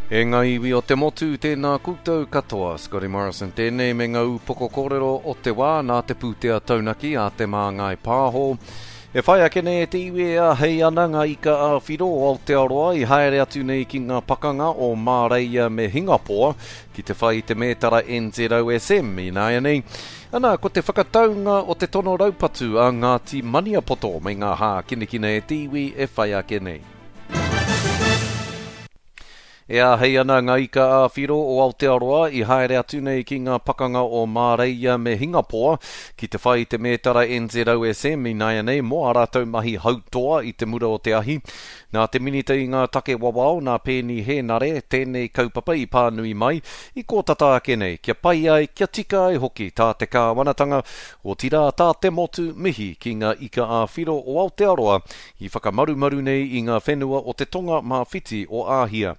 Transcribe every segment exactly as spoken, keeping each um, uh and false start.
E ngā iwi o te motu, tēnā koutou katoa. Scotty Morrison tēnei me ngā upoko kōrero o te wā nā te pūtea taunaki a Te Māngai Pāho. E whai ake nei e te iwi e āhei ana ngā ika ā-whiro o Aotearoa i haere atu nei ki ngā pakanga o Māreia me Hingapoa ki te whai i te mētara N Z O S M ināianei. Ana, ko te whakataunga o te tono raupatu a Ngāti Maniapoto me ngā hākinakina e te iwi e whai ake nei. E āhei ana ngā ika ā-whiro o Aotearoa i haere atu nei ki ngā pakanga o Māreia me Hingapoa ki te whai i te mētara N Z O S M ināianei mō ā rātou mahi hautoa i te mura o te ahi. Nā te minita i ngā take wawao, nā Pēni Hēnare, tēnei kaupapa i pānui mai, i kōtata ake nei, kia pai ai, kia tika ai hoki tā te kāwanatanga, otirā tā te motu mihi ki ngā ika ā-whiro o Aotearoa i whakamarumaru nei i ngā whenua o te tonga mā whiti o Āhia.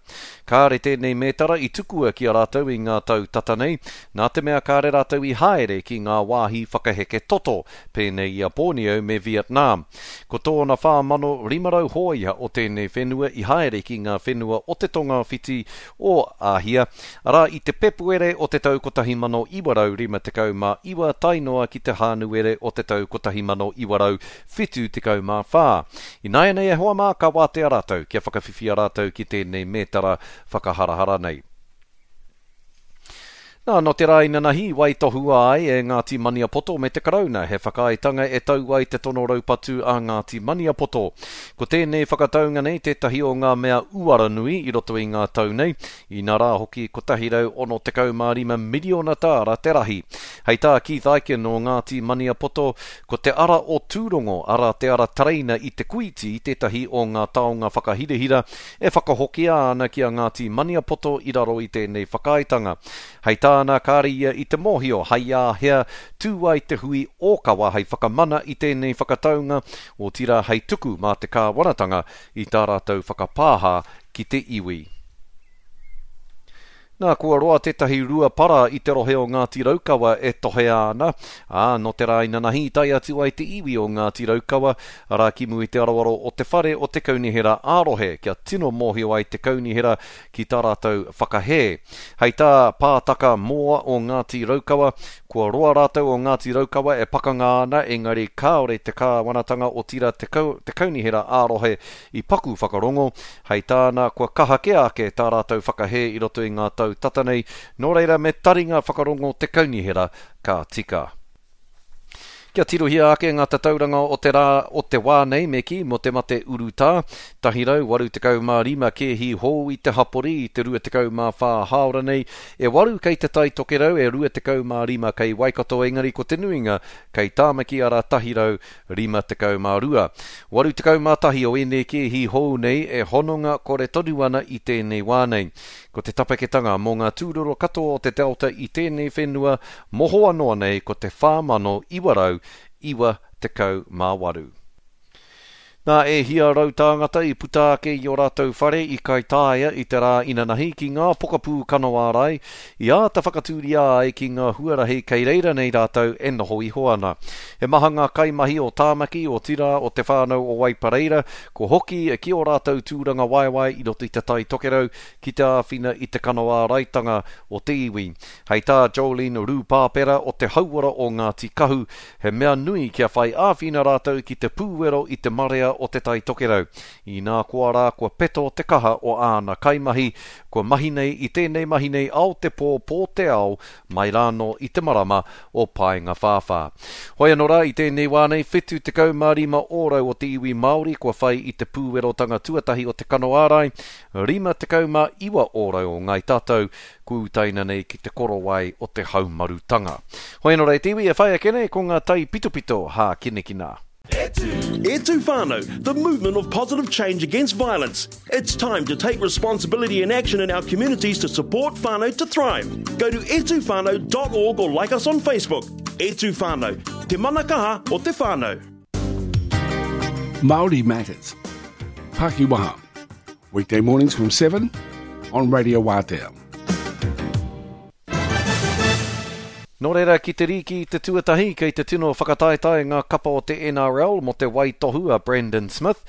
Kāre tēnei mētara i tukua ki a rātou i ngā tau tata nei, nā te mea kāre rātou i haere ki ngā wāhi whakaheke toto, pēnei i a Borneo me Vietnam. Ko tōna whā mano rima rau hōia o tēnei whenua i haere ki ngā whenua o te tonga whiti o Āhia, arā i te Pepuere o te tau kotahi mano iwa rau rima tekau mā iwa tae noa ki te Hānuere o te tau kotahi mano iwa rau whitu tekau mā whā. Ināianei e hoa mā ka wātea rātou kia whakawhiwhia rātou ki tēnei mētara whakaharahara nei. Nā, no te rā inanahi, waitohua ai e Ngāti Maniapoto me te Karauna he whakaaetanga e tau ai te tono raupatu a Ngāti Maniapoto. Ko tēnei whakataunga nei tētahi o ngā mea uara nui i roto i ngā tau nei, inā rā hoki kotahi rau ono tekau mā rima miriona tāra te rahi. Hei tā Keith Ikin o Ngāti Maniapoto, ko te ara o Tūrongo, ara te ara tereina i Te Kuiti, tētahi o ngā taonga whakahirahira e whakahokia ana ki a Ngāti Maniapoto i raro i tēnei whakaaetanga. Hei tā ana kāre ia i te mōhio hai āhea tū ai te hui ōkawa hei whakamana i tēnei whakataunga, otirā hei tuku mā te kāwanatanga i tā rātou whakapāha ki te iwi. Nā, kua roa tētahi rua para i te rohe o Ngāti Raukawa e tohea ana, ā, no te rā inanahi i tae atu ai te iwi o Ngāti Raukawa, arā ki mua i te aroaro o te whare o te kaunihera ā-rohe, kia tino mōhio ai te kaunihera ki tā rātou whakahē. Hei tā Pātaka Moa o Ngāti Raukawa, kua roa rātou o Ngāti Raukawa e pakanga ana, engari kāore te kāwanatanga otirā te kau-, te kaunihera ā-rohe i paku whakarongo. Hei tāna, kua kaha kē ake tā rātou whakahē i roto i ngā tau tata nei, nō reira me taringa whakarongo te kaunihera ka tika. Kia tirohia ake ngā tatauranga o te rā o te wā nei me ki mō te mate urutā, tahi rau waru tekau mā rima kēhi hou i te hapori i te rua tekau mā whā hāora nei, e waru kei te Tai Tokerau, e rua tekau mā rima kei Waikato, engari ko te nuinga kei Tāmaki arā tahi rau rima tekau mā rua. Waru tekau mā tahi o ēnei kēhi hou nei e hononga kore tonu ana i tēnei wā nei. Ko te tapeketanga mō ngā tūroro katoa o te Delta i tēnei whenua mohoa noa nei ko te whā mano iwa rau iwa tekau mā waru. Nā, e hia rau tāngata i puta ake i o rātou whare i Kaitaia i te rā inanahi ki ngā pokapū kano ārai, i āta whakatūria ai ki ngā huarahi kei reira nei rātou e noho iho ana. He maha ngā kaimahi o Tāmaki, o Tira, o te whānau o Waipareira, ko hoki ki o rātou tūranga waewae i roto i te Tai Tokerau ki te āwhina i te kano āraitanga o te iwi. Hei tā Jolene Rūpāpera o te hauora o Ngāti Kahu, he mea nui kia whai āwhina rātou ki te pūwero i te marea o te Tai Tokerau. Inā koa rā kua peto te kaha o āna kaimahi, kua mahi nei i tēnei mahi nei ao te pō pō te ao mai rāno i te marama o Paenga Whāwhā. Hoi anō rā i tēnei wā nei, whitu tekau mā rima ōrau o te iwi Māori kua whai i te pūwerotanga tuatahi o te kano ārai, rima tekau mā iwa ōrau o Ngāi Tātou, kua utaina nei ki te korowai o te haumarutanga. Hoi anō rā e te iwi e whai ake nei ko ngā tai pitopito hākinakina. E tū whānau, the movement of positive change against violence. It's time to take responsibility and action in our communities to support whānau to thrive. Go to e tū whānau dot org or like us on Facebook. E tū whānau, te mana kaha o te whānau. Māori Matters. Pakiwaha. Weekday mornings from seven on Radio Waatea. Nō reira, ki te rīki i te tuatahi, kei te tino whakataetae ngā kapa o te N R L mō te waitohu a Brandon Smith.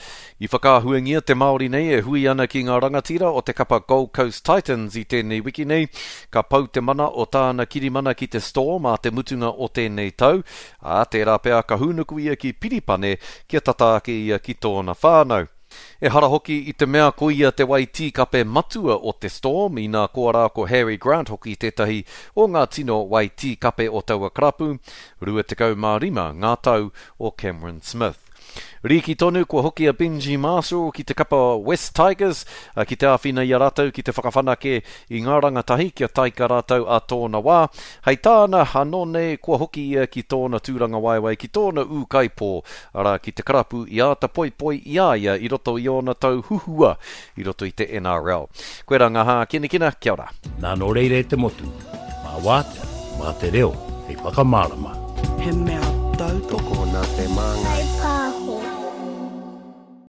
I whakaahuangia te Māori nei e hui ana ki ngā rangatira o te kapa Gold Coast Titans i tēnei wiki nei. Ka pau te mana o tāna kirimana ki te Storm a te mutunga o tēnei tau, ā, tērā pea ka hūnuku ia ki Piripane kia tata ake ia ki tōna whānau. Ehara hoki i te mea ko ia te wai tīkape matua o te Storm, inā koa rā ko Harry Grant hoki tētahi o ngā tino wai tīkape o taua karapu, rua tekau mā rima ngā tau o Cameron Smith. Rīki tonu kua hoki a Benji Marshall ki te kapa West Tigers, a, ki te āwhina i a rātou ki te whakawhanake i ngā rangatahi kia taika rātou a tōna wā. Hei tāna, anō nei kua hoki ia ki tōna tūranga waewae, ki tōna ūkaipō, arā ki te karapu i āta poipoi i a ia i roto i ōna tau huhua i roto i te N R L. Koe rā ngā hākinakina, kia ora. Nā nō reira e te motu, mā wātea, mā te reo, hei whakamārama. He mea tautoko nā te māngai.